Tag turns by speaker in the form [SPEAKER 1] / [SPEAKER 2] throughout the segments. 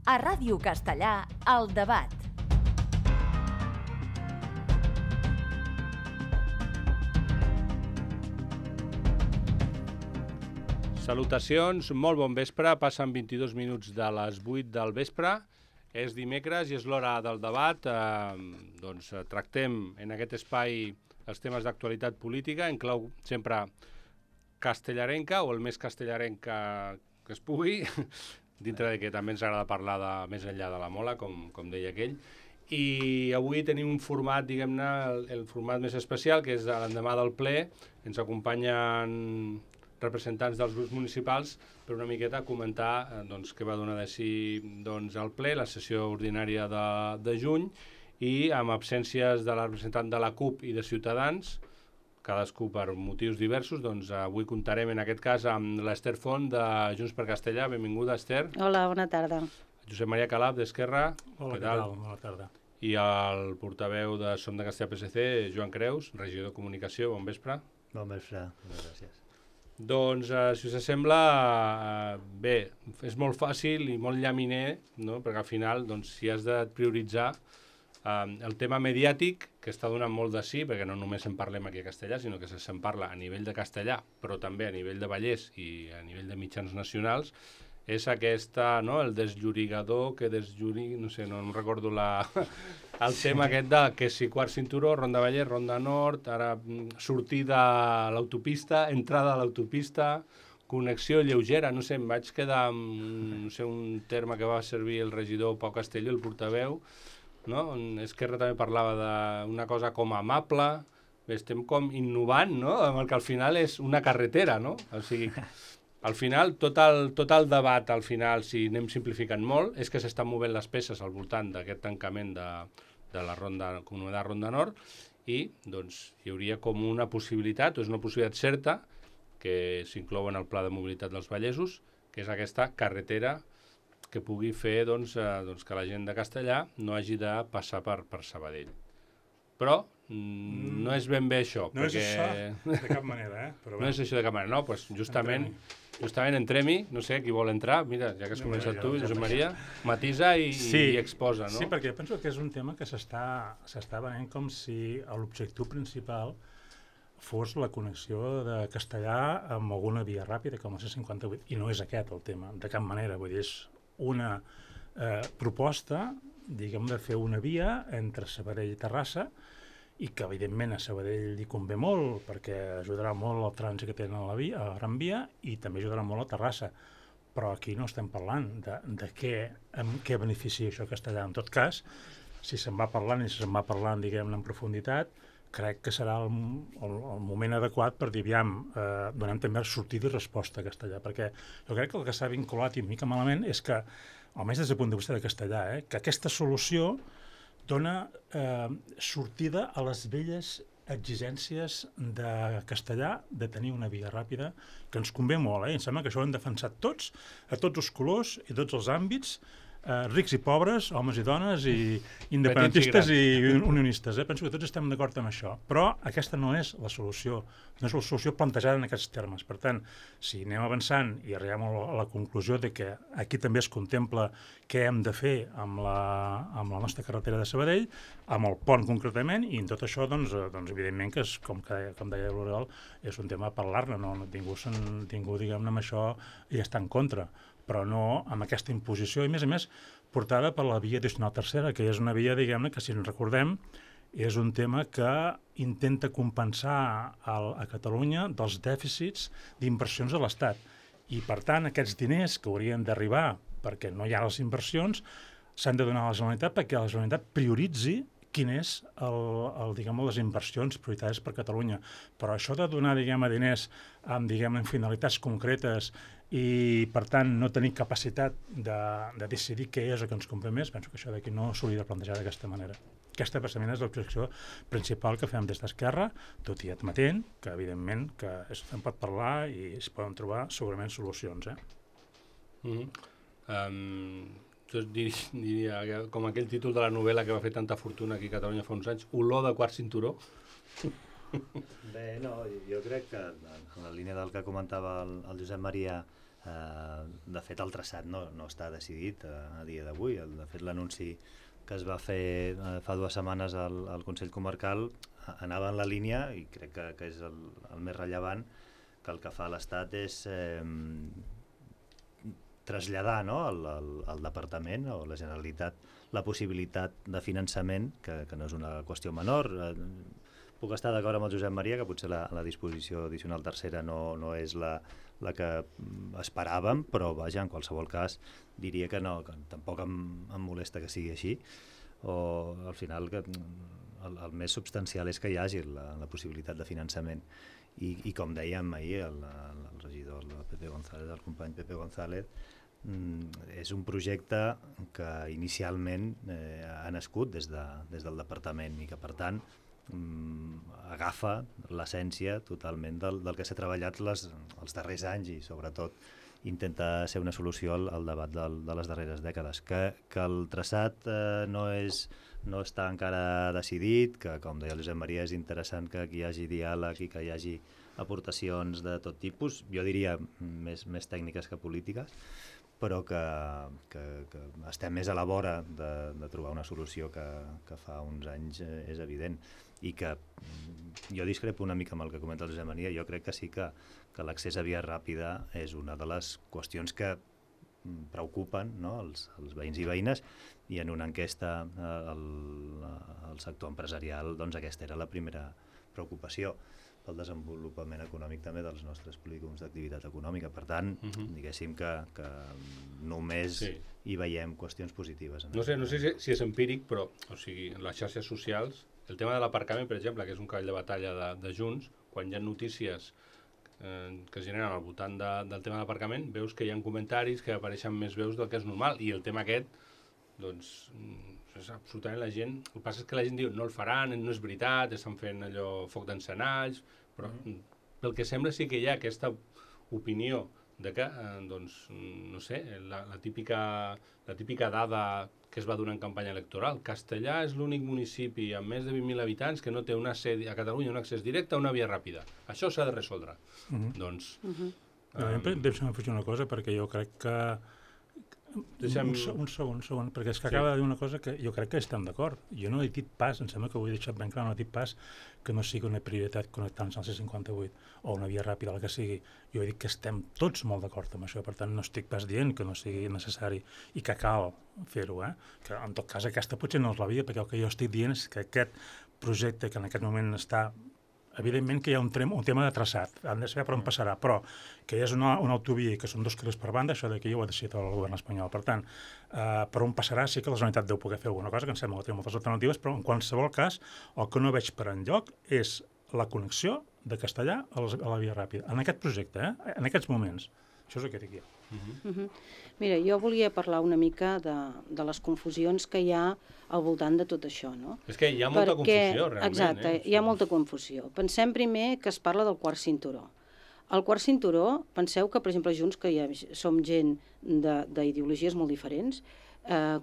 [SPEAKER 1] A Ràdio Castellà, El Debat.
[SPEAKER 2] Salutacions, molt bon vespre, passen 22 minuts de les 8 del vespre, és dimecres i és l'hora del debat, tractem en aquest espai els temes d'actualitat política, en clau sempre castellarenca o el més castellarenca que es pugui, dintre de que també ens agrada parlar de més enllà de la mola, com deia aquell, i avui tenim un format, diguem-ne, el format més especial, que és l'endemà del ple, ens acompanyen representants dels grups municipals per una miqueta comentar què va donar de si el ple, la sessió ordinària de juny, i amb absències de la representant de la CUP i de Ciutadans, cadascú per motius diversos, avui comptarem en aquest cas amb l'Ester Font de Junts per Castellà. Benvinguda, Ester.
[SPEAKER 3] Hola, bona tarda.
[SPEAKER 2] Josep Maria Calaf, d'Esquerra.
[SPEAKER 4] Hola, què tal? Bona tarda.
[SPEAKER 2] I el portaveu de Som de Castellà PSC, Joan Creus, regidor de Comunicació. Bon vespre.
[SPEAKER 5] Bon vespre, moltes gràcies.
[SPEAKER 2] Doncs, si us sembla, bé, és molt fàcil i molt llaminer, no? Perquè al final, si has de prioritzar el tema mediàtic, que està donant molt de sí, perquè no només en parlem aquí a Castellà, sinó que se'n parla a nivell de castellà, però també a nivell de Vallès i a nivell de mitjans nacionals, és aquesta, no?, el desllorigador que deslloriga, no sé, no recordo el tema aquest de que si quart cinturó, Ronda Vallès, Ronda Nord, ara sortida a l'autopista, entrada a l'autopista, connexió lleugera, no sé, em vaig quedar amb, no sé, un terme que va servir el regidor Pau Castelló, el portaveu, no? Esquerra també parlava d'una cosa com amable, estem com innovant, no?, amb el que al final és una carretera, no? O sigui, al final, tot el debat, al final, si anem simplificant molt, és que s'estan movent les peces al voltant d'aquest tancament de la Comunitat Ronda Nord i, hi hauria com una possibilitat, o és una possibilitat certa, que s'inclou en el Pla de Mobilitat dels Vallesos, que és aquesta carretera que pugui fer que la gent de Castellà no hagi de passar per Sabadell. Però no és ben bé això.
[SPEAKER 4] No és això de cap manera, Però
[SPEAKER 2] no és això de cap manera, no? Doncs justament entrem-hi, no sé, qui vol entrar, mira, ja que has començat tu, Josep Maria, matisa i exposa, no?
[SPEAKER 4] Sí, perquè penso que és un tema que s'està venent com si l'objectiu principal fos la connexió de Castellà amb alguna via ràpida, com la C58, i no és aquest el tema, de cap manera, vull dir, és una proposta, diguem, de fer una via entre Sabadell i Terrassa, i que evidentment a Sabadell li convé molt perquè ajudarà molt el trànsit que tenen a la Gran Via i també ajudarà molt a Terrassa, però aquí no estem parlant de què beneficia això a Castellà. En tot cas, si se'n va parlant, diguem-ne, en profunditat, crec que serà el moment adequat per dir, donem també sortida i resposta a Castellà, perquè jo crec que el que s'ha vinculat i mica malament és que, almenys des del punt de vista de Castellà, que aquesta solució dona sortida a les velles exigències de Castellà de tenir una via ràpida que ens convé molt. Em sembla que això ho hem defensat tots, a tots els colors i tots els àmbits, rics i pobres, homes i dones, i independentistes i unionistes. Penso que tots estem d'acord amb això, però aquesta no és la solució, no és la solució plantejada en aquests termes. Per tant, si anem avançant i arribem a la conclusió de que aquí també es contempla què hem de fer amb la nostra carretera de Sabadell, amb el pont concretament, i en tot això, evidentment que, com deia l'Oriol, és un tema a parlar-ne, no? Ningú, diguem-ne, amb això hi està en contra, però no amb aquesta imposició, i a més portada per la via addicional tercera, que és una via, diguem-ne, que si ens recordem és un tema que intenta compensar a Catalunya dels dèficits d'inversions de l'Estat. I, per tant, aquests diners que haurien d'arribar perquè no hi ha les inversions s'han de donar a la Generalitat perquè la Generalitat prioritzi quin és les inversions prioritàries per Catalunya. Però això de donar, diners amb finalitats concretes i, per tant, no tenir capacitat de decidir què és el que ens convé més, penso que això d'aquí no s'hauria de plantejar d'aquesta manera. Aquesta, precisament, és l'objecció principal que fem des d'Esquerra, tot i admetent que, evidentment, que se'n pot parlar i es poden trobar segurament solucions.
[SPEAKER 2] Jo diria, com aquell títol de la novel·la que va fer tanta fortuna aquí a Catalunya fa uns anys, Olor de quart cinturó.
[SPEAKER 5] Bé, no, jo crec que en la línia del que comentava el Josep Maria De fet, el traçat no està decidit a dia d'avui. De fet, l'anunci que es va fer fa 2 setmanes al Consell Comarcal anava en la línia, i crec que és el més rellevant, que el que fa l'Estat és traslladar, no, al Departament o a la Generalitat la possibilitat de finançament, que no és una qüestió menor. Puc estar d'acord amb el Josep Maria que potser la disposició addicional tercera no és la que esperàvem, però vaja, en qualsevol cas diria que no, que tampoc em molesta que sigui així, o al final que el més substancial és que hi hagi la possibilitat de finançament. I com dèiem ahir, el regidor el company Pepe González, és un projecte que inicialment ha nascut des del departament i que per tant agafa l'essència totalment del que s'ha treballat els darrers anys i sobretot intenta ser una solució al debat de les darreres dècades. Que el traçat no està encara decidit, que com deia el Josep Maria és interessant que hi hagi diàleg i que hi hagi aportacions de tot tipus, jo diria més tècniques que polítiques, però que estem més a la vora de trobar una solució que fa uns anys és evident, i que jo discrepo una mica amb el que comenta el Josep Maria. Jo crec que sí que l'accés a via ràpida és una de les qüestions que preocupen, no, els veïns i veïnes, i en una enquesta al sector empresarial doncs aquesta era la primera preocupació pel desenvolupament econòmic també dels nostres polígons d'activitat econòmica. Per tant, diguéssim que només hi veiem qüestions positives.
[SPEAKER 2] No sé si és empíric, però o sigui, en les xarxes socials, el tema de l'aparcament, per exemple, que és un cavall de batalla de Junts, quan hi ha notícies que es generen al voltant del tema de l'aparcament, veus que hi ha comentaris que apareixen més veus del que és normal, i el tema aquest, doncs, és absolutament la gent... El que passa és que la gent diu, no el faran, no és veritat, estan fent allò foc d'encenalls, però pel que sembla sí que hi ha aquesta opinió de que, doncs, no sé, la típica dada que es va donar en campanya electoral. Castellà és l'únic municipi amb més de 20.000 habitants que no té a Catalunya un accés directe a una via ràpida. Això s'ha de resoldre. Doncs...
[SPEAKER 4] Deixa'm afegir una cosa, perquè jo crec que... Un segon, perquè és que acaba de dir una cosa que jo crec que estem d'acord. Jo no he dit pas, em sembla que ho he deixat ben clar, no he dit pas que no sigui una prioritat connectar-nos al C58 o una via ràpida, la que sigui. Jo he dit que estem tots molt d'acord amb això, per tant no estic pas dient que no sigui necessari i que cal fer-ho, que en tot cas aquesta potser no és la via, perquè el que jo estic dient és que aquest projecte que en aquest moment està... Evidentment que hi ha un tema de traçat, han de saber per on passarà, però que hi ha una autovia i que són 2 carrils per banda, això d'aquí ho ha decidit el govern espanyol. Per tant, per on passarà sí que la Generalitat deu poder fer alguna cosa, que em sembla que té moltes alternatives, però en qualsevol cas el que no veig per enlloc és la connexió de Castellà a la via ràpida, en aquest projecte, en aquests moments. Això és el que dic jo.
[SPEAKER 3] Mira, jo volia parlar una mica de les confusions que hi ha al voltant de tot això, no?
[SPEAKER 2] És que hi ha molta confusió, realment.
[SPEAKER 3] Exacte, hi ha molta confusió. Pensem primer que es parla del quart cinturó. El quart cinturó, penseu que, per exemple, Junts, que ja som gent d'ideologies molt diferents,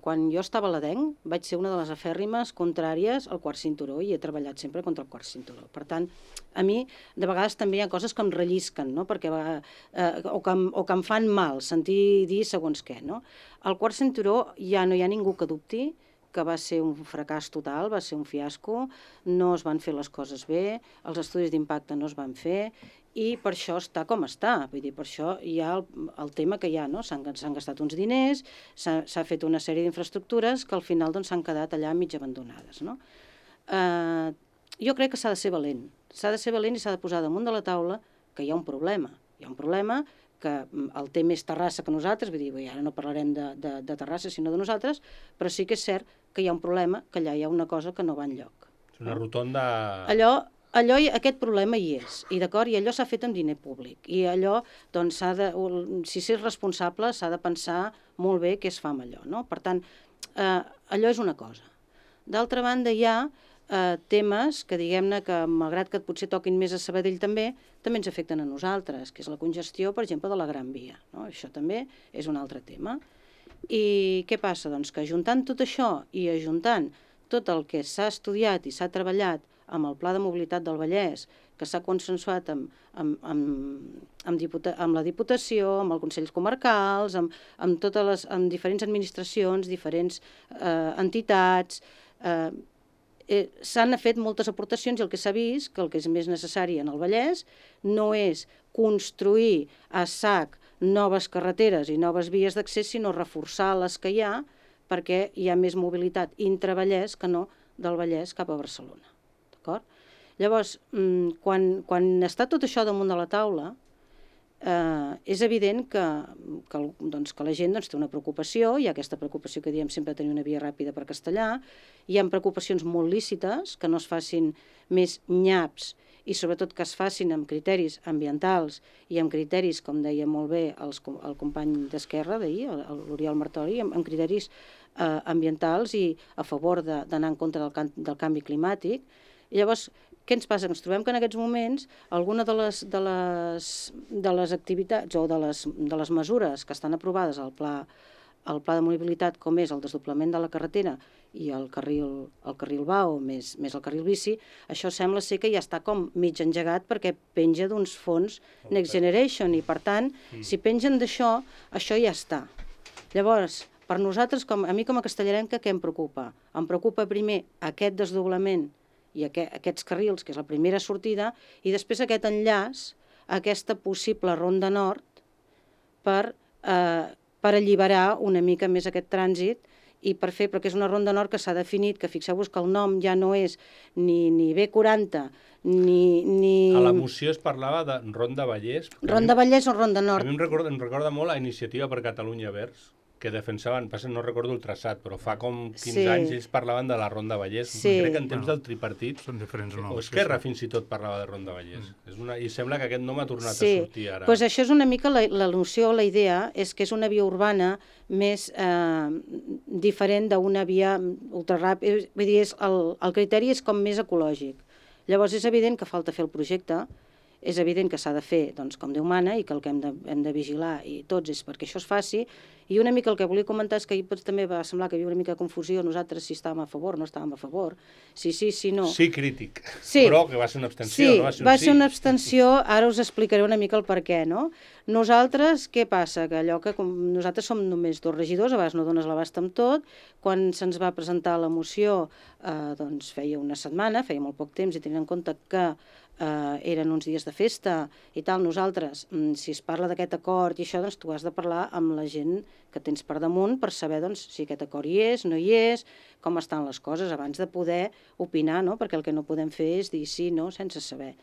[SPEAKER 3] quan jo estava a l'Adenc vaig ser una de les afèrrimes contràries al quart cinturó i he treballat sempre contra el quart cinturó. Per tant, a mi de vegades també hi ha coses que em rellisquen, no? o que em fan mal sentir dir segons què. No? El quart cinturó ja no hi ha ningú que dubti que va ser un fracàs total, va ser un fiasco, no es van fer les coses bé, els estudis d'impacte no es van fer i per això està com està. Vull dir, per això hi ha el tema que hi ha, no? S'han gastat uns diners, s'ha fet una sèrie d'infraestructures que al final doncs, s'han quedat allà mig abandonades. No? Jo crec que s'ha de ser valent. S'ha de ser valent i s'ha de posar damunt de la taula que hi ha un problema. Hi ha un problema que el té més Terrassa que nosaltres, vull dir, ara no parlarem de Terrassa sinó de nosaltres, però sí que és cert que hi ha un problema, que allà hi ha una cosa que no va enlloc.
[SPEAKER 2] És una rotonda...
[SPEAKER 3] Aquest problema hi és, i d'acord, i allò s'ha fet amb diner públic, i allò, doncs, si s'és responsable, s'ha de pensar molt bé què es fa amb allò, no? Per tant, allò és una cosa. D'altra banda, hi ha temes que, diguem-ne, que malgrat que potser toquin més a Sabadell també ens afecten a nosaltres, que és la congestió, per exemple, de la Gran Via, no? Això també és un altre tema. I què passa? Doncs que ajuntant tot això i ajuntant tot el que s'ha estudiat i s'ha treballat amb el Pla de Mobilitat del Vallès, que s'ha consensuat amb amb la Diputació, amb els Consells Comarcals, amb diferents administracions, diferents entitats. S'han fet moltes aportacions i el que s'ha vist, que el que és més necessari en el Vallès, no és construir a sac noves carreteres i noves vies d'accés, sinó reforçar les que hi ha, perquè hi ha més mobilitat intra-Vallès que no del Vallès cap a Barcelona. D'acord? Llavors, quan està tot això damunt de la taula, és evident que la gent té una preocupació, hi ha aquesta preocupació que diem sempre de tenir una via ràpida per Castellar, hi ha preocupacions molt lícites, que no es facin més nyaps i sobretot que es facin amb criteris ambientals i amb criteris, com deia molt bé el company d'Esquerra d'ahir, l'Oriol Martori, amb criteris ambientals i a favor d'anar en contra del canvi climàtic. I llavors, què ens passa? Ens trobem que en aquests moments alguna de les activitats o de les mesures que estan aprovades al pla de mobilitat, com és el desdoblament de la carretera i el carril BAO més el carril bici, això sembla ser que ja està com mig engegat perquè penja d'uns fons Next Generation i, per tant, si pengen d'això, això ja està. Llavors, per nosaltres, a mi com a castellarenca, què em preocupa? Em preocupa primer aquest desdoblament i aquests carrils, que és la primera sortida, i després aquest enllaç a aquesta possible ronda nord per alliberar una mica més aquest trànsit i per fer, perquè és una ronda nord que s'ha definit, que fixeu-vos que el nom ja no és ni B40, ni...
[SPEAKER 2] A la moció es parlava de Ronda Vallès.
[SPEAKER 3] Ronda Vallès o Ronda Nord.
[SPEAKER 2] A mi em recorda molt la Iniciativa per Catalunya Verds, que defensaven, no recordo el traçat, però fa com 15 anys ells parlaven de la Ronda Vallès. Crec que en temps del tripartit,
[SPEAKER 4] són diferents noms.
[SPEAKER 2] O Esquerra fins i tot parlava de Ronda Vallès. I sembla que aquest nom ha tornat a sortir ara.
[SPEAKER 3] Doncs això és una mica la noció, la idea, és que és una via urbana més diferent d'una via ultraràpida. Vull dir, el criteri és com més ecològic. Llavors és evident que falta fer el projecte, és evident que s'ha de fer com Déu mana i que el que hem de vigilar i tots és perquè això es faci. I una mica el que volia comentar és que ahir també va semblar que hi havia una mica de confusió, nosaltres si estàvem a favor, no estàvem a favor, si sí, si no.
[SPEAKER 2] Sí, crític, però que va ser una abstenció, no va ser un sí.
[SPEAKER 3] Sí, va ser una abstenció, ara us explicaré una mica el per què, no? Nosaltres, què passa? Que allò que nosaltres som només 2 regidors, a vegades no dones l'abast amb tot, quan se'ns va presentar la moció, doncs feia una setmana, feia molt poc temps, i tenint en compte que eren uns dies de festa i tal, nosaltres, si es parla d'aquest acord i això, doncs tu has de parlar amb la gent que tens per damunt per saber si aquest acord hi és, no hi és, com estan les coses, abans de poder opinar, no? Perquè el que no podem fer és dir sí, no, sense saber.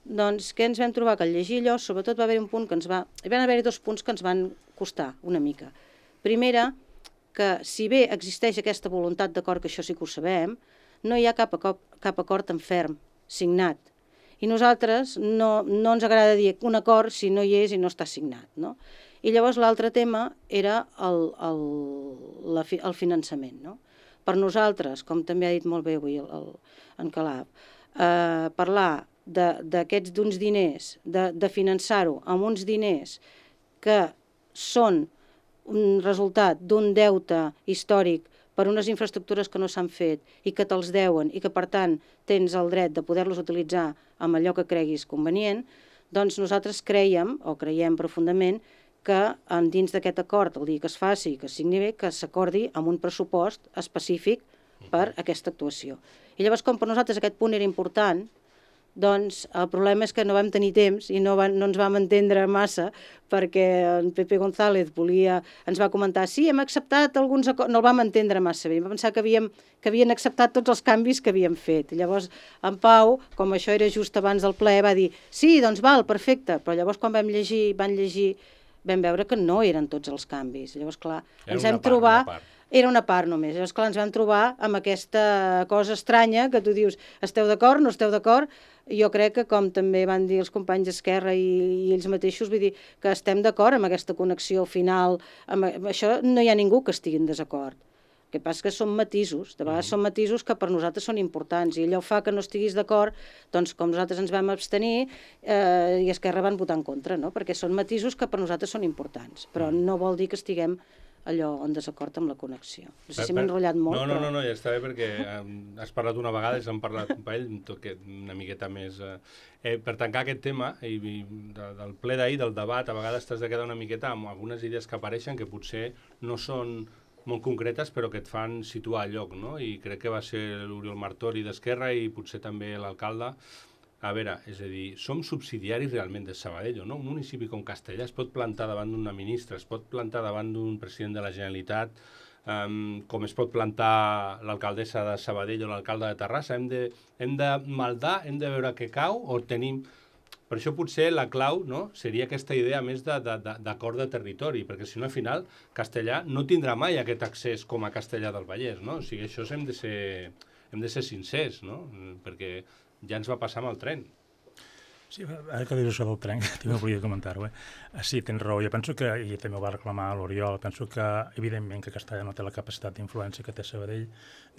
[SPEAKER 3] Doncs què ens vam trobar? Que al llegir allò, sobretot va haver-hi un punt que hi van haver-hi 2 punts que ens van costar una mica. Primera, que si bé existeix aquesta voluntat d'acord, que això sí que ho sabem, no hi ha cap acord en ferm, signat. I nosaltres no ens agrada dir un acord si no hi és i no està signat, no? I llavors l'altre tema era el finançament, no? Per nosaltres, com també ha dit molt bé avui en Calaf, parlar d'uns diners, de finançar-ho amb uns diners que són un resultat d'un deute històric per unes infraestructures que no s'han fet i que te'ls deuen i que, per tant, tens el dret de poder-los utilitzar amb allò que creguis convenient, doncs nosaltres creiem profundament que dins d'aquest acord, el dia que es faci, que es signi bé, que s'acordi amb un pressupost específic per aquesta actuació. I llavors, com per nosaltres aquest punt era important, doncs el problema és que no vam tenir temps i no ens vam entendre massa perquè en Pepe González ens va comentar sí, hem acceptat alguns acords, no el vam entendre massa bé, vam pensar que havien acceptat tots els canvis que havíem fet. I llavors en Pau, com això era just abans del ple, va dir sí, doncs val, perfecte, però llavors quan van llegir, vam veure que no eren tots els canvis. Llavors, clar, ens vam trobar... Era una part només. Llavors, clar, ens vam trobar amb aquesta cosa estranya que tu dius, esteu d'acord, no esteu d'acord? Jo crec que, com també van dir els companys d'Esquerra i ells mateixos, vull dir que estem d'acord amb aquesta connexió final. Amb això no hi ha ningú que estigui en desacord. El que passa que són matisos, de vegades són matisos que per nosaltres són importants i allò fa que no estiguis d'acord, doncs com nosaltres ens vam abstenir i Esquerra van votar en contra, no? Perquè són matisos que per nosaltres són importants, però no vol dir que estiguem allò en desacord amb la connexió. No sé si m'he enrotllat molt,
[SPEAKER 2] No, ja està bé, perquè has parlat una vegada i s'han parlat un parell, una miqueta més... Per tancar aquest tema del ple d'ahir, del debat, a vegades t'has de quedar una miqueta amb algunes idees que apareixen que potser no són molt concretes, però que et fan situar al lloc, no? I crec que va ser l'Oriol Martori d'Esquerra i potser també l'alcalde. A veure, és a dir, som subsidiaris realment de Sabadell, no? Un municipi com Castellar es pot plantar davant d'una ministra, es pot plantar davant d'un president de la Generalitat, com es pot plantar l'alcaldessa de Sabadell o l'alcalde de Terrassa. Hem de maldar, hem de veure què cau, o tenim... Per això potser la clau, no, seria aquesta idea més d'acord de territori, perquè si no, al final, Castellar no tindrà mai aquest accés com a Castellar del Vallès, no? O sigui, això hem de ser sincers, no? Perquè ja ens va passar amb el tren.
[SPEAKER 4] Sí, ara que dius això del tren, també volia comentar-ho. Sí, tens raó. Jo penso que, i també ho va reclamar l'Oriol, penso que, evidentment, que Castellar no té la capacitat d'influència que té Sabadell,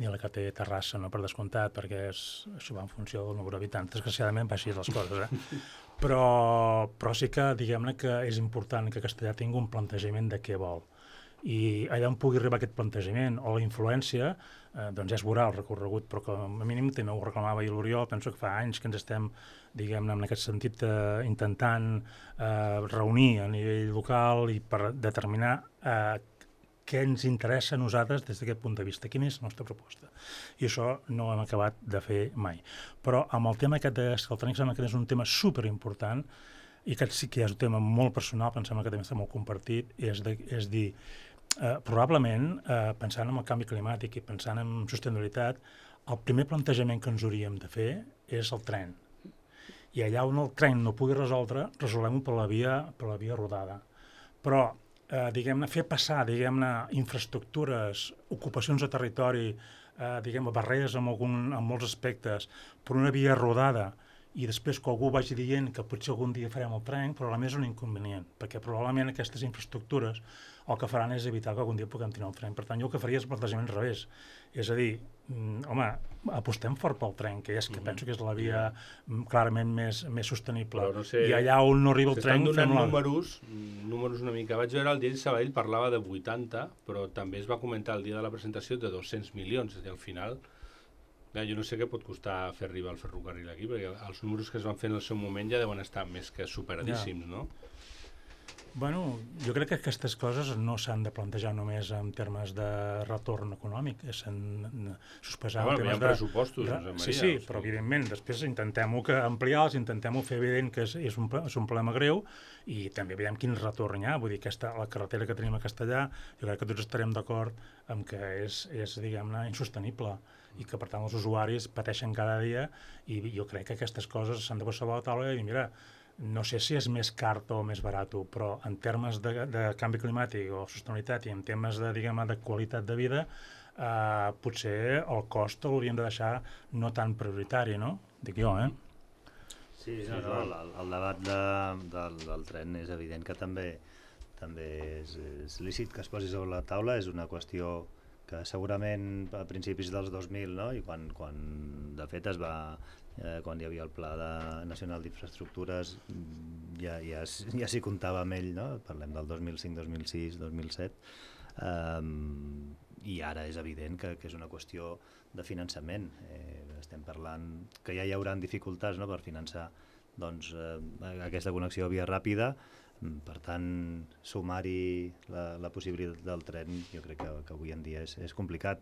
[SPEAKER 4] ni la que té Terrassa, no, per descomptat, perquè això va en funció del nombre d'habitants. Desgraciadament va així les coses, Però sí que, diguem-ne, que és important que Castellar tingui un plantejament de què vol. I allà on pugui arribar aquest plantejament o la influència, doncs ja es veurà el recorregut, però com a mínim també ho reclamava ahir l'Oriol, penso que fa anys que ens estem, diguem-ne, en aquest sentit, intentant reunir a nivell local i per determinar què ens interessa a nosaltres des d'aquest punt de vista, quina és la nostra proposta. I això no ho hem acabat de fer mai. Però amb el tema aquest del tren, sembla que és un tema superimportant, i aquest sí que és un tema molt personal, pensem que també està molt compartit, és dir, probablement, pensant en el canvi climàtic i pensant en sostenibilitat, el primer plantejament que ens hauríem de fer és el tren. I allà on el tren no pugui resoldre, resolem-ho per la via rodada. Però, diguem-ne, fer passar, diguem-ne, infraestructures, ocupacions de territori, diguem-ne, barreres en molts aspectes, per una via rodada, i després que algú vagi dient que potser algun dia farem el tren, probablement és un inconvenient, perquè probablement aquestes infraestructures el que faran és evitar que algun dia puguem tenir el tren. Per tant, jo el que faria és el plantejament al revés. És a dir, home, apostem fort pel tren, que és que penso que és la via clarament més sostenible.
[SPEAKER 2] No sé,
[SPEAKER 4] I allà on no arriba el tren...
[SPEAKER 2] S'estan donant números una mica. Vaig veure el dia de Sabadell parlava de 80, però també es va comentar el dia de la presentació de 200 milions. És a dir, al final... Jo no sé què pot costar fer arribar el ferrocarril aquí, perquè els números que es van fer en el seu moment ja deuen estar més que superadíssims, no?
[SPEAKER 4] Bueno, jo crec que aquestes coses no s'han de plantejar només en termes de retorn econòmic, s'han de sospesar en termes de...
[SPEAKER 2] pressupostos, Josep Maria.
[SPEAKER 4] Sí, però evidentment, després intentem-ho ampliar-los, intentem-ho fer evident que és un problema greu i també veiem quin retorn hi ha. Vull dir, la carretera que tenim a Castellar, jo crec que tots estarem d'acord amb que és diguem-ne, insostenible i que, per tant, els usuaris pateixen cada dia i jo crec que aquestes coses s'han de posar a la taula i dir, mira, no sé si és més car o més barat, però en termes de canvi climàtic o sostenibilitat i en termes de, diguem-ne, de qualitat de vida, potser el cost l'hauríem de deixar no tan prioritari, no? Dic jo,
[SPEAKER 5] Sí, el debat del tren és evident que també és lícit que es posi sobre la taula, és una qüestió que segurament a principis dels 2000, no? I quan de fet quan hi havia el Pla Nacional d'Infraestructures ja s'hi comptava amb ell, no? Parlem del 2005, 2006, 2007, i ara és evident que és una qüestió de finançament. Estem parlant que ja hi haurà dificultats, no?, per finançar aquesta connexió via ràpida. Per tant, sumar-hi la possibilitat del tren jo crec que avui en dia és complicat,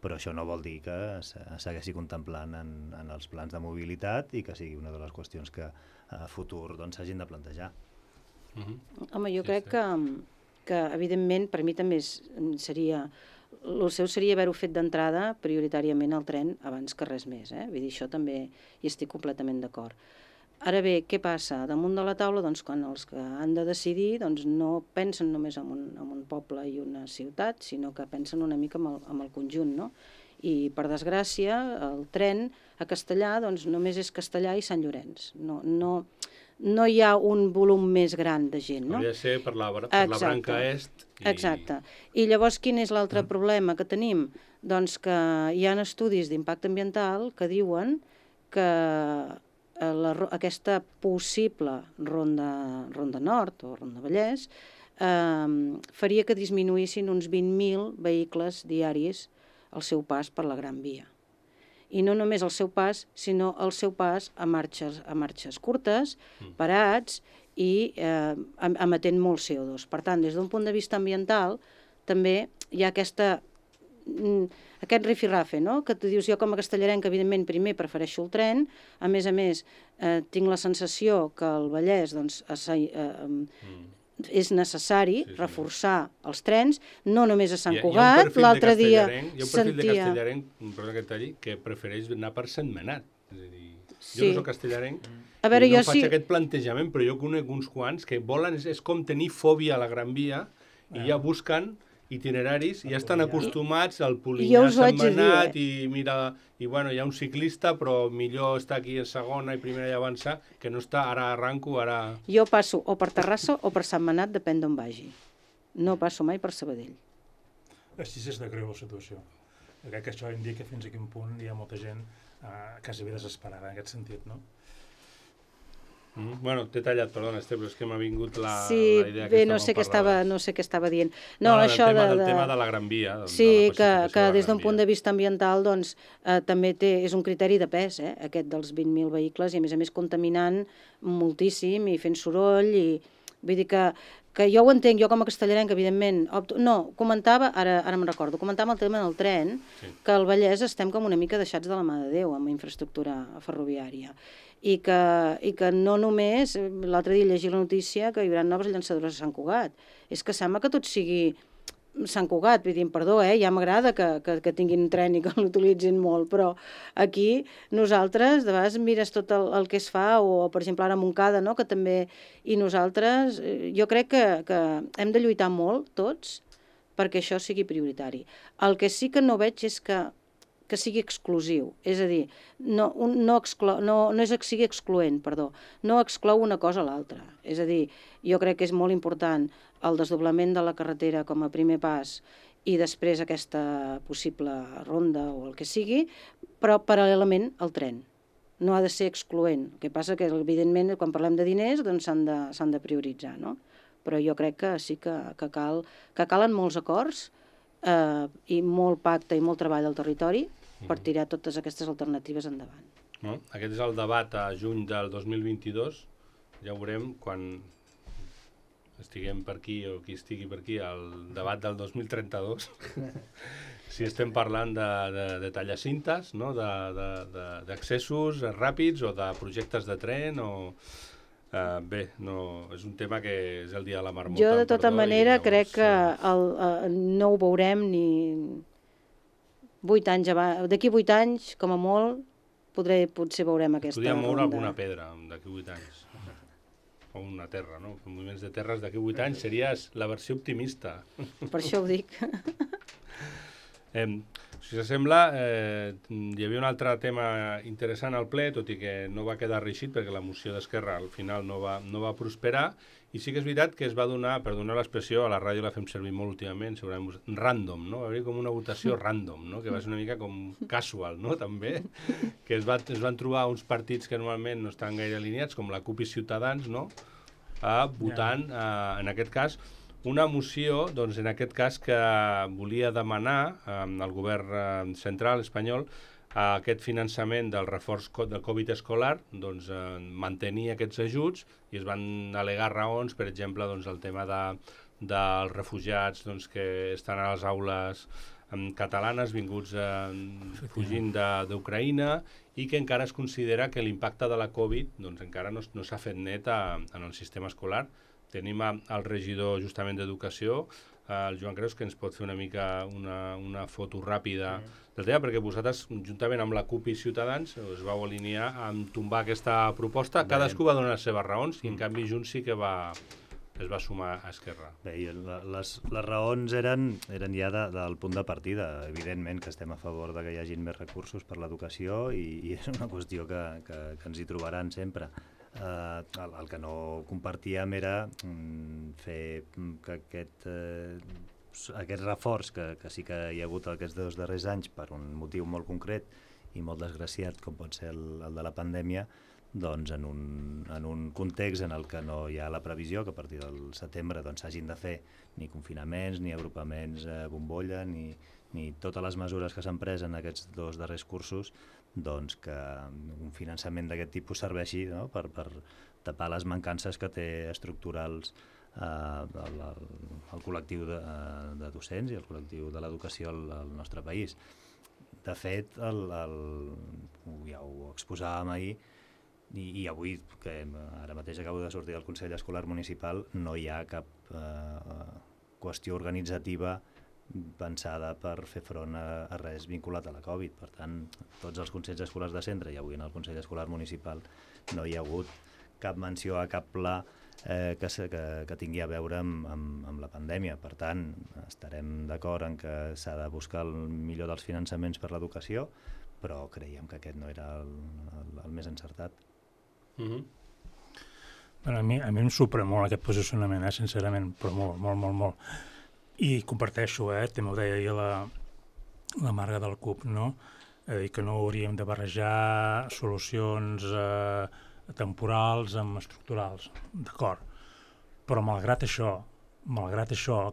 [SPEAKER 5] però això no vol dir que segueixi contemplant en els plans de mobilitat i que sigui una de les qüestions que a futur s'hagin de plantejar.
[SPEAKER 3] Home, jo crec que evidentment per mi també seria... El seu seria haver-ho fet d'entrada prioritàriament al tren abans que res més. Vull dir, això també hi estic completament d'acord. Ara bé, què passa? Damunt de la taula, quan els que han de decidir no pensen només en un poble i una ciutat, sinó que pensen una mica en el conjunt, no? I, per desgràcia, el tren a Castellar només és Castellar i Sant Llorenç. No hi ha un volum més gran de gent, no?
[SPEAKER 2] Hauria de ser per la branca est.
[SPEAKER 3] Exacte. I llavors quin és l'altre problema que tenim? Doncs que hi ha estudis d'impacte ambiental que diuen que aquesta possible ronda nord o ronda Vallès faria que disminuïssin uns 20.000 vehicles diaris el seu pas per la Gran Via. I no només el seu pas, sinó el seu pas a marxes curtes, parats i emetent molt CO2. Per tant, des d'un punt de vista ambiental, també hi ha aquest rifirrafe, no? Que tu dius, jo com a castellarenc, evidentment, primer prefereixo el tren, a més, tinc la sensació que el Vallès és necessari reforçar els trens, no només a Sant Cugat, l'altre dia
[SPEAKER 2] sentia... Hi ha un perfil de castellarenc, perdona que et talli, que prefereix anar per Sentmenat. És a dir, jo no soc castellarenc, no faig aquest plantejament, però jo conec uns quants que volen, és com tenir fòbia a la Gran Via, i ja busquen itineraris, i ja estan acostumats al Polinyà, Sentmenat, i mira, i bueno, hi ha un ciclista, però millor estar aquí en segona i primera i avançar, que no està, ara arranco, ara...
[SPEAKER 3] Jo passo o per Terrassa o per Sentmenat, depèn d'on vagi. No passo mai per Sabadell.
[SPEAKER 4] Així és de greu la situació. Crec que això indica fins a quin punt hi ha molta gent quasi bé desesperada en aquest sentit, no?
[SPEAKER 2] Bueno, t'he tallat, perdona, però és que m'ha vingut la idea
[SPEAKER 3] que no sé què estava dient.
[SPEAKER 2] No, això del tema de la Gran Via.
[SPEAKER 3] Sí, que des d'un punt de vista ambiental doncs, també és un criteri de pes, aquest dels 20.000 vehicles, i a més contaminant moltíssim i fent soroll, i vull dir que jo ho entenc, jo com a castellarenc, evidentment, comentava, ara me'n recordo, comentava el tema del tren, que al Vallès estem com una mica deixats de la mà de Déu amb infraestructura ferroviària. I que no només, l'altre dia llegia la notícia que hi haurà noves llançadores a Sant Cugat. És que sembla que tot sigui Sant Cugat, vull dir, perdó, ja m'agrada que tinguin tren i que l'utilitzin molt, però aquí nosaltres, de vegades mires tot el que es fa, o per exemple ara a Montcada, no?, que també, i nosaltres, jo crec que hem de lluitar molt, tots, perquè això sigui prioritari. El que sí que no veig és que sigui exclusiu, és a dir, no és que sigui excloent, perdó, no exclou una cosa a l'altra. És a dir, jo crec que és molt important el desdoblament de la carretera com a primer pas i després aquesta possible ronda o el que sigui, però paral·lelament al tren. No ha de ser excloent. El que passa que, evidentment, quan parlem de diners, doncs s'han de prioritzar, no? Però jo crec que sí que calen molts acords i molt pacte i molt treball al territori per tirar totes aquestes alternatives endavant.
[SPEAKER 2] Aquest és el debat a juny del 2022. Ja veurem quan estiguem per aquí o qui estigui per aquí, el debat del 2032. Si estem parlant de tallacintes, d'accessos ràpids o de projectes de tren o... Bé, és un tema que és el dia de la marmota.
[SPEAKER 3] Jo, de tota manera, crec que no ho veurem ni 8 anys abans. D'aquí 8 anys, com a molt, potser veurem aquesta ronda.
[SPEAKER 2] Podríem moure alguna pedra d'aquí 8 anys. O una terra, no? Moviments de terres d'aquí 8 anys seria la versió optimista.
[SPEAKER 3] Per això ho dic.
[SPEAKER 2] Si s'assembla, hi havia un altre tema interessant al ple, tot i que no va quedar reeixit perquè la moció d'Esquerra al final no va prosperar, i sí que és veritat que es va donar, per donar l'expressió, a la ràdio la fem servir molt últimament, segurament random, no? Va haver com una votació random, no? Que va ser una mica com casual, no? També, que es van trobar uns partits que normalment no estan gaire alineats, com la CUP i Ciutadans, no? Votant, en aquest cas, una moció, doncs, en aquest cas, que volia demanar al govern central espanyol aquest finançament del reforç del Covid escolar, doncs, mantenir aquests ajuts, i es van al·legar raons, per exemple, doncs, el tema dels refugiats doncs, que estan a les aules catalanes vinguts fugint d'Ucraïna, i que encara es considera que l'impacte de la Covid doncs, encara no s'ha fet net en el sistema escolar. Tenim el regidor justament d'Educació, el Joan Creus, que ens pot fer una mica una foto ràpida del tema, perquè vosaltres, juntament amb la CUP i Ciutadans, us vau alinear en tombar aquesta proposta. Cadascú va donar les seves raons, i en canvi Junts sí que es va sumar a Esquerra.
[SPEAKER 5] Bé, les raons eren ja del punt de partida. Evidentment que estem a favor de que hi hagin més recursos per l'educació, i és una qüestió que ens hi trobaran sempre. El que no compartíem era fer que aquest reforç que sí que hi ha hagut aquests 2 darrers anys per un motiu molt concret i molt desgraciat com pot ser el de la pandèmia, doncs, en un context en el que no hi ha la previsió que a partir del setembre s'hagin de fer ni confinaments, ni agrupaments bombolla, ni totes les mesures que s'han pres en aquests 2 darrers cursos, doncs que un finançament d'aquest tipus serveixi, no?, per tapar les mancances que té estructurals el col·lectiu de docents i el col·lectiu de l'educació al nostre país. De fet, ja ho exposàvem ahir, i avui, que ara mateix acabo de sortir del Consell Escolar Municipal, no hi ha cap qüestió organitzativa pensada per fer front a res vinculat a la Covid. Per tant, tots els consells escolars de centre i avui en el Consell Escolar Municipal no hi ha hagut cap menció a cap pla que tingui a veure amb la pandèmia. Per tant, estarem d'acord en que s'ha de buscar el millor dels finançaments per l'educació, però creiem que aquest no era el més encertat.
[SPEAKER 4] A mi em supera molt aquest posicionament, sincerament, però molt. I comparteixo, també ho deia ahir la Marga del CUP, no? Que no hauríem de barrejar solucions temporals amb estructurals, d'acord. Però malgrat això,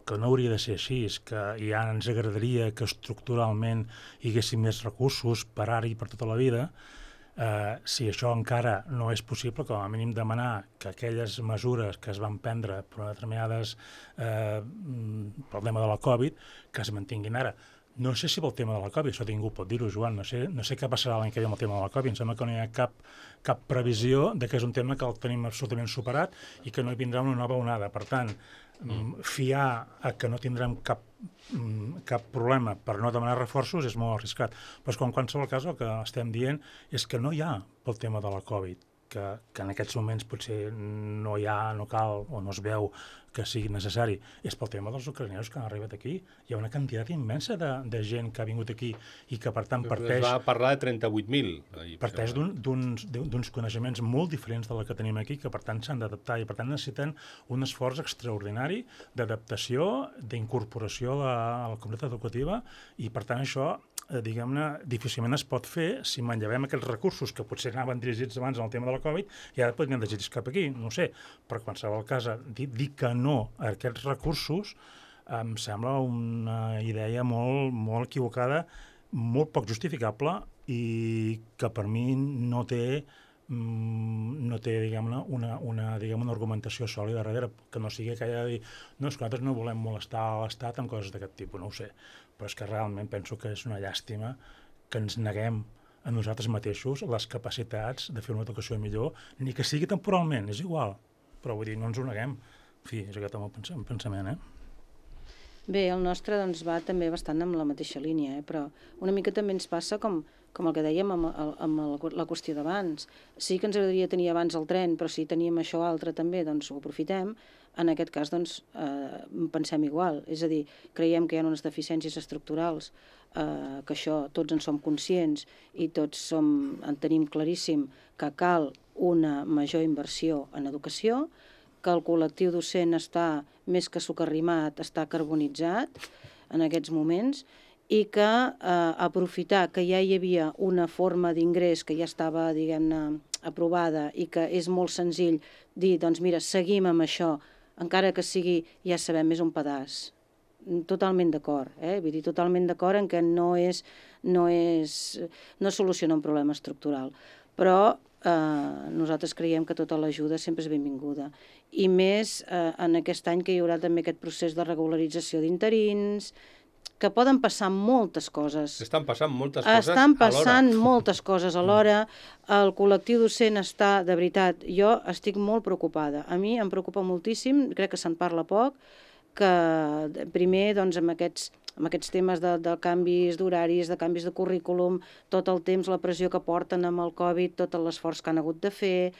[SPEAKER 4] que no hauria de ser així, que ja ens agradaria que estructuralment hi haguessin més recursos per ara i per tota la vida, si això encara no és possible, com a mínim demanar que aquelles mesures que es van prendre per determinades problema de la Covid, que es mantinguin ara. No sé si pel tema de la Covid, això ningú pot dir-ho, Joan, no sé què passarà l'any que ve amb el tema de la Covid, em sembla que no hi ha cap previsió de que és un tema que el tenim absolutament superat i que no hi vindrà una nova onada. Per tant, fiar a que no tindrem cap problema per no demanar reforços és molt arriscat. Però en qualsevol cas el que estem dient és que no hi ha pel tema de la Covid, que en aquests moments potser no cal o no es veu que sigui necessari, és pel tema dels ucraïneus que han arribat aquí. Hi ha una quantitat immensa de gent que ha vingut aquí i que, per tant, parteix...
[SPEAKER 2] Es va parlar de 38.000.
[SPEAKER 4] Parteix d'uns coneixements molt diferents de la que tenim aquí, que, per tant, s'han d'adaptar i, per tant, necessiten un esforç extraordinari d'adaptació, d'incorporació a la comunitat educativa i, per tant, això diguem-ne, difícilment es pot fer si manllevem aquests recursos que potser anaven dirigits abans en el tema de la Covid i ara podrien dirigits cap aquí, no ho sé. Per qualsevol cas, dir que no a aquests recursos em sembla una idea molt equivocada, molt poc justificable i que per mi no té diguem-ne, una argumentació sòlida darrere, que no sigui que hagi de dir no, és que nosaltres no volem molestar l'Estat amb coses d'aquest tipus, no ho sé. Però és que realment penso que és una llàstima que ens neguem a nosaltres mateixos les capacitats de fer una educació millor, ni que sigui temporalment, és igual. Però vull dir, no ens ho neguem. En fi, és aquest el meu pensament,
[SPEAKER 3] Bé, el nostre doncs, va també bastant amb la mateixa línia, però una mica també ens passa com el que dèiem amb la qüestió d'abans. Sí que ens agradaria tenir abans el tren, però si teníem això altre també, doncs ho aprofitem. En aquest cas, doncs, pensem igual. És a dir, creiem que hi ha unes deficiències estructurals, que això tots en som conscients i tots en tenim claríssim que cal una major inversió en educació, que el col·lectiu docent està més que socarrimat, està carbonitzat en aquests moments i que aprofitar que ja hi havia una forma d'ingrés que ja estava, diguem-ne, aprovada i que és molt senzill dir, doncs mira, seguim amb això, encara que sigui, ja sabem, és un pedaç. Totalment d'acord, vull dir, totalment d'acord en que no soluciona un problema estructural. Però nosaltres creiem que tota l'ajuda sempre és benvinguda. I més en aquest any que hi haurà també aquest procés de regularització d'interins, que poden passar moltes coses.
[SPEAKER 2] Estan passant moltes coses alhora.
[SPEAKER 3] Estan passant moltes coses alhora. El col·lectiu docent està, de veritat, jo estic molt preocupada. A mi em preocupa moltíssim, crec que se'n parla poc, que primer, doncs, amb aquests temes de canvis d'horaris, de canvis de currículum, tot el temps, la pressió que porten amb el Covid, tot l'esforç que han hagut de fer,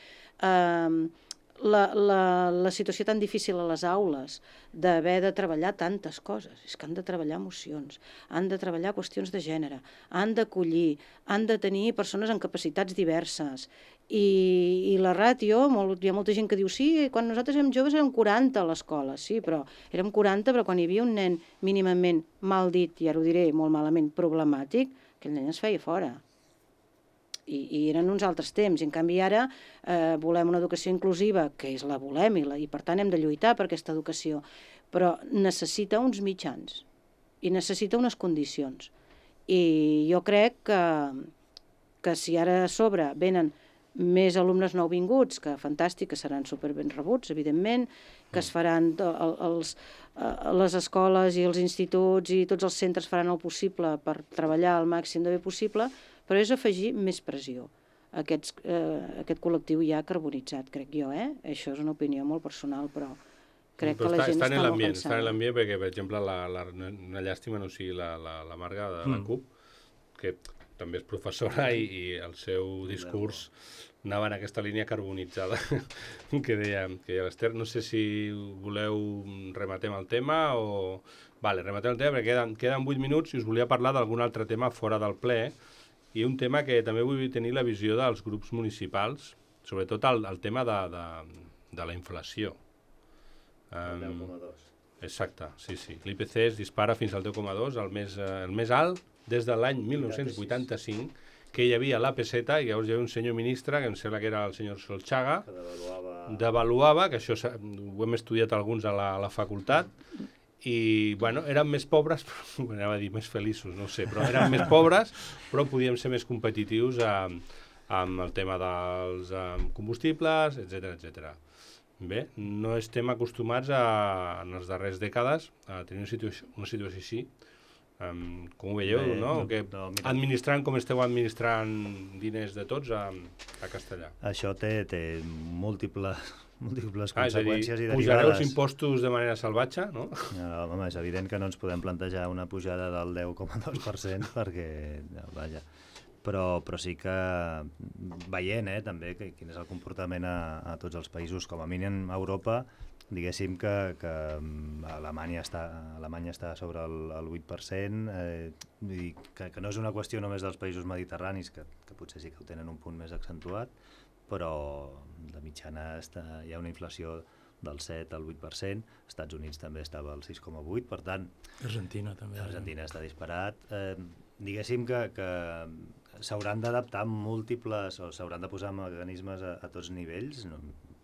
[SPEAKER 3] la situació tan difícil a les aules d'haver de treballar tantes coses. És que han de treballar emocions, han de treballar qüestions de gènere, han d'acollir, han de tenir persones amb capacitats diverses. I la ràtio, hi ha molta gent que diu sí, quan nosaltres érem joves érem 40 a l'escola, sí, però érem 40, però quan hi havia un nen mínimament mal dit, i ara ho diré molt malament, problemàtic, aquell nen es feia fora. i eren uns altres temps. I en canvi ara volem una educació inclusiva, que la volem, i per tant hem de lluitar per aquesta educació, però necessita uns mitjans i necessita unes condicions. I jo crec que si ara a sobre venen més alumnes nouvinguts, que fantàstic, que seran superben rebuts, evidentment, que es faran les escoles i els instituts i tots els centres faran el possible per treballar al màxim de bé possible, però és afegir més pressió a aquest col·lectiu ja carbonitzat, crec jo, Això és una opinió molt personal, però crec que la gent està molt cansada.
[SPEAKER 2] Està en l'ambient perquè, per exemple, una llàstima no sigui la Marga de la CUP, que també és professora i el seu discurs anava en aquesta línia carbonitzada que deia l'Ester. No sé si voleu rematem el tema o... Vale, rematem el tema perquè queden 8 minuts i us volia parlar d'algun altre tema fora del ple i un tema que també vull tenir la visió dels grups municipals, sobretot el tema de la inflació.
[SPEAKER 5] El 10,2.
[SPEAKER 2] Exacte, sí. L'IPC es dispara fins al 10,2, el més alt des de l'any 1985, que hi havia la peseta, i llavors hi havia un senyor ministre, que em sembla que era el senyor Solchaga, que devaluava, que això ho hem estudiat alguns a la facultat, i, bueno, érem més pobres, però anava a dir més feliços, no sé, però érem més pobres, però podíem ser més competitius amb el tema dels combustibles, etc. Bé, no estem acostumats en les darreres dècades a tenir una situació així. Com ho veieu, no? Administrant com esteu administrant diners de tots a Castellar.
[SPEAKER 5] Això té múltiples conseqüències i derivades.
[SPEAKER 2] Pujareu els impostos de manera salvatge, no?
[SPEAKER 5] Home, és evident que no ens podem plantejar una pujada del 10,2% perquè, vaja, però sí que veient també quin és el comportament a tots els països, com a mínim a Europa, diguéssim que Alemanya està sobre el 8%, i que no és una qüestió només dels països mediterranis, que potser sí que ho tenen un punt més accentuat, però de mitjana hi ha una inflació del 7 al 8%, Estats Units també estava al 6,8%, per tant...
[SPEAKER 4] Argentina també.
[SPEAKER 5] Argentina està disparat. Diguéssim que s'hauran d'adaptar múltiples, o s'hauran de posar mecanismes a tots nivells,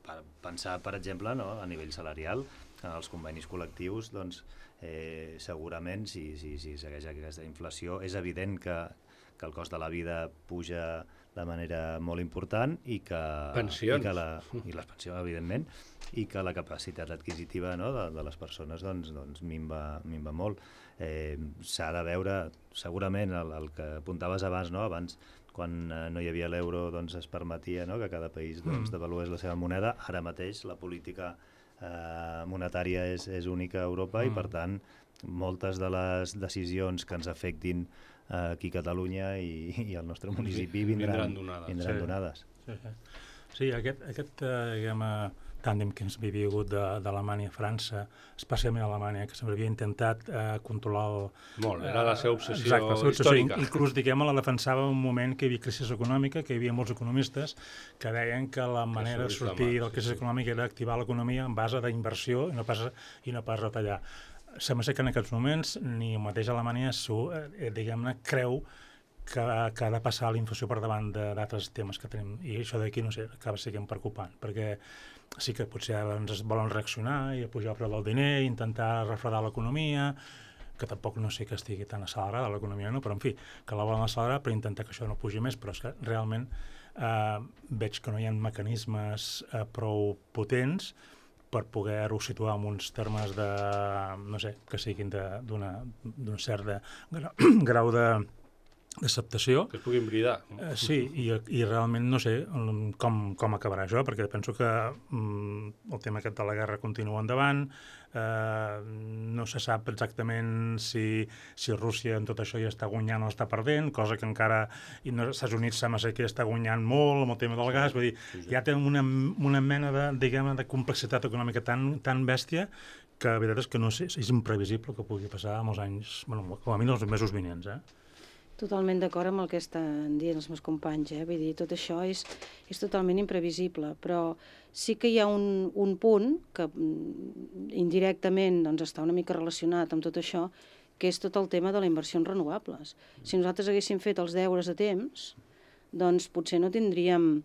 [SPEAKER 5] per pensar, per exemple, a nivell salarial, en els convenis col·lectius, doncs segurament, si segueix aquesta inflació, és evident que el cost de la vida puja de manera molt important i que...
[SPEAKER 2] Pensions.
[SPEAKER 5] I les pensions, evidentment, i que la capacitat adquisitiva de les persones doncs minva molt. S'ha de veure, segurament, el que apuntaves abans, quan no hi havia l'euro es permetia que cada país devalués la seva moneda. Ara mateix la política monetària és única a Europa i, per tant, moltes de les decisions que ens afectin aquí a Catalunya i al nostre municipi vindran donades.
[SPEAKER 4] Sí, aquest tàndem que ens havia hagut d'Alemanya a França, especialment a Alemanya, que sempre havia intentat controlar
[SPEAKER 2] molt, era la seva obsessió històrica.
[SPEAKER 4] Inclús, diguem-ne, la defensava en un moment que hi havia crisi econòmica, que hi havia molts economistes que deien que la manera de sortir de la crisi econòmica era activar l'economia en base d'inversió i no pas retallar. Sembla ser que en aquests moments ni mateix Alemanya diguem-ne creu que ha de passar la inflació per davant d'altres temes que tenim, i això d'aquí, no sé, acaba sent preocupant, perquè sí que potser ens volen reaccionar i pujar el preu del diner, intentar refredar l'economia, que tampoc no sé que estigui tan accelerada l'economia, no? Però en fi, que la volen accelerar per intentar que això no pugi més, però és que realment veig que no hi ha mecanismes prou potents per poder-ho situar en uns termes de, no sé, que siguin d'un cert grau d'acceptació.
[SPEAKER 2] Que es puguin bridar.
[SPEAKER 4] Sí, i realment no sé com acabarà això, perquè penso que el tema aquest de la guerra continua endavant, no se sap exactament si Rússia en tot això ja està guanyant o està perdent, cosa que encara als Estats Units sembla ser que ja està guanyant molt amb el tema del gas, vull dir, ja té una mena de complexitat econòmica tan bèstia que la veritat és que no sé, és imprevisible que pugui passar molts anys, bueno, com a mínim els mesos vinents,
[SPEAKER 3] Totalment d'acord amb el que estan dient els meus companys, vull dir, tot això és totalment imprevisible, però sí que hi ha un punt que indirectament està una mica relacionat amb tot això, que és tot el tema de la inversió en renovables. Si nosaltres haguéssim fet els deures a temps, doncs potser no tindríem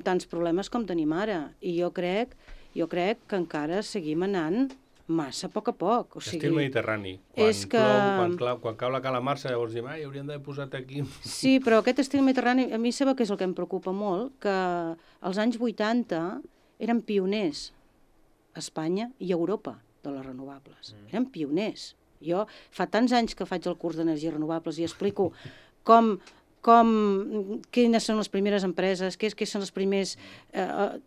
[SPEAKER 3] tants problemes com tenim ara. I jo crec que encara seguim anant massa a poc. O sigui,
[SPEAKER 2] Estil mediterrani. Quan cau la calamarsa, llavors diem, hauríem d'haver posat aquí...
[SPEAKER 3] Sí, però aquest estil mediterrani, a mi sabeu què és el que em preocupa molt? Que als anys 80 eren pioners a Espanya i a Europa de les renovables. Eren pioners. Jo fa tants anys que faig el curs d'energies renovables i explico quines són les primeres empreses, què són els primers...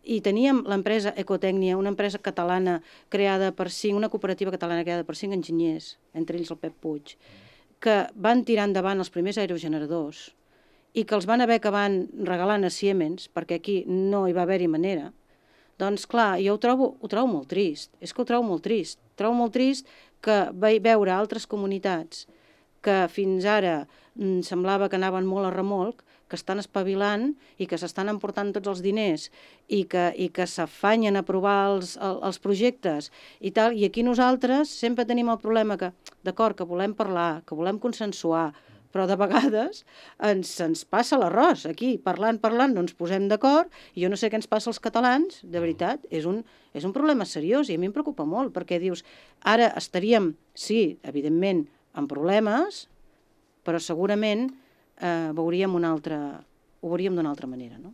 [SPEAKER 3] I teníem l'empresa Ecotècnia, una empresa catalana creada per 5, una cooperativa catalana creada per 5 enginyers, entre ells el Pep Puig, que van tirar endavant els primers aerogeneradors i que els van haver acabant regalant a Siemens, perquè aquí no hi va haver-hi manera. Doncs clar, jo ho trobo molt trist. És que ho trobo molt trist. Trobo molt trist que veure altres comunitats que fins ara semblava que anaven molt a remolc, que estan espavilant i que s'estan emportant tots els diners i que s'afanyen a aprovar els projectes i tal. I aquí nosaltres sempre tenim el problema que, d'acord, que volem parlar, que volem consensuar, però de vegades ens passa l'arròs. Aquí, parlant, no ens posem d'acord, i jo no sé què ens passa als catalans, de veritat, és un problema seriós i a mi em preocupa molt, perquè dius, ara estaríem, sí, evidentment, amb problemes, però segurament ho veuríem d'una altra manera, no?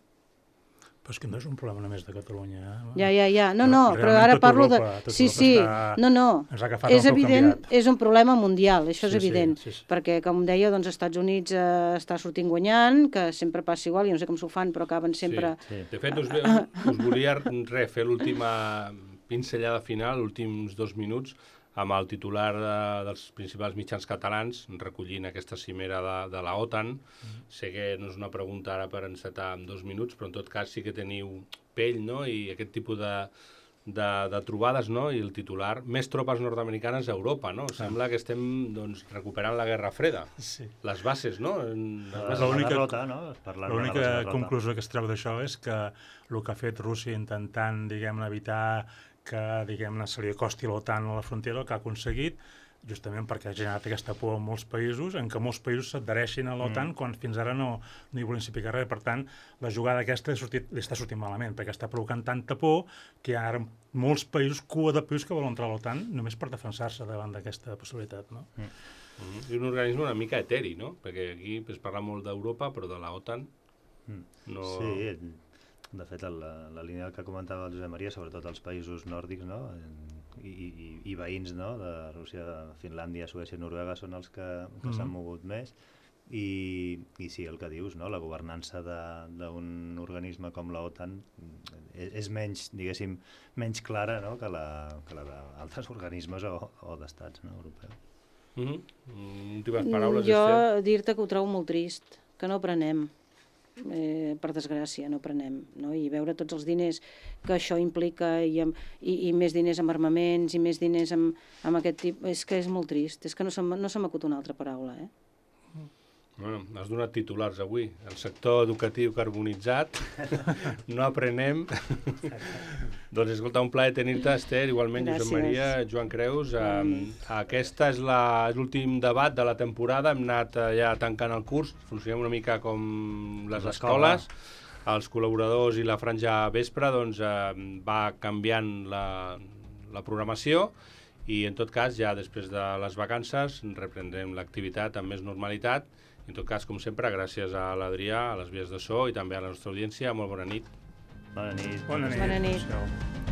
[SPEAKER 4] Però és que no és un problema només de Catalunya.
[SPEAKER 3] Ja. No, però ara parlo de... Sí, no. És evident, és un problema mundial, això és evident. Perquè, com deia, doncs, als Estats Units està sortint guanyant, que sempre passa igual, jo no sé com s'ho fan, però acaben sempre...
[SPEAKER 2] De fet, us volia fer l'última pinzellada final, últims 2 minuts, amb el titular dels principals mitjans catalans, recollint aquesta cimera de la OTAN. Sé que no és una pregunta ara per encetar en 2 minuts, però en tot cas sí que teniu pell, no?, i aquest tipus de trobades, no?, i el titular, més tropes nord-americanes a Europa, no? Sembla que estem, doncs, recuperant la Guerra Freda.
[SPEAKER 4] Sí.
[SPEAKER 2] Les bases, no?
[SPEAKER 4] L'única conclusió que es treu d'això és que el que ha fet Rússia intentant, diguem-ne, evitar que, diguem-ne, se li acosti l'OTAN a la frontera, el que ha aconseguit, justament perquè ha generat aquesta por en molts països, en què molts països s'adhereixin a l'OTAN quan fins ara no hi volien saber res. Per tant, la jugada aquesta li està sortint malament, perquè està provocant tanta por que hi ha ara molts països, cua de països que volen entrar a l'OTAN només per defensar-se davant d'aquesta possibilitat, no?
[SPEAKER 2] I un organisme una mica eteri, no? Perquè aquí es parla molt d'Europa, però de la OTAN no...
[SPEAKER 5] Sí, de fet, la línia que comentava el Josep Maria, sobretot els països nòrdics, no?, i veïns, no?, de Rússia, Finlàndia, Suècia i Noruega són els que s'han mogut més. I sí, el que dius, no?, la governança d'un organisme com la OTAN és menys, diguéssim, menys clara, no?, que la d'altres organismes o d'estats, no?, europeus.
[SPEAKER 2] Últimes paraules,
[SPEAKER 3] jo dir-te que ho trobo molt trist, que no prenem. Per desgràcia, no prenem, no? I veure tots els diners que això implica i més diners amb armaments i més diners amb aquest tipus, és que és molt trist, és que no se m'acut una altra paraula,
[SPEAKER 2] Bueno, has donat titulars avui. El sector educatiu carbonitzat, no aprenem. Doncs escolta, un plaer tenir-te, Esther, igualment, Josep Maria, Joan Creus. Aquesta és l'últim debat de la temporada. Hem anat ja tancant el curs, funcionem una mica com les escoles. Els col·laboradors i la franja vespre doncs, va canviant la programació i, en tot cas, ja després de les vacances reprendrem l'activitat amb més normalitat. En tot cas, com sempre, gràcies a l'Adrià, a les vies de so i també a la nostra audiència. Molt bona nit.
[SPEAKER 5] Bona nit.
[SPEAKER 4] Bona nit.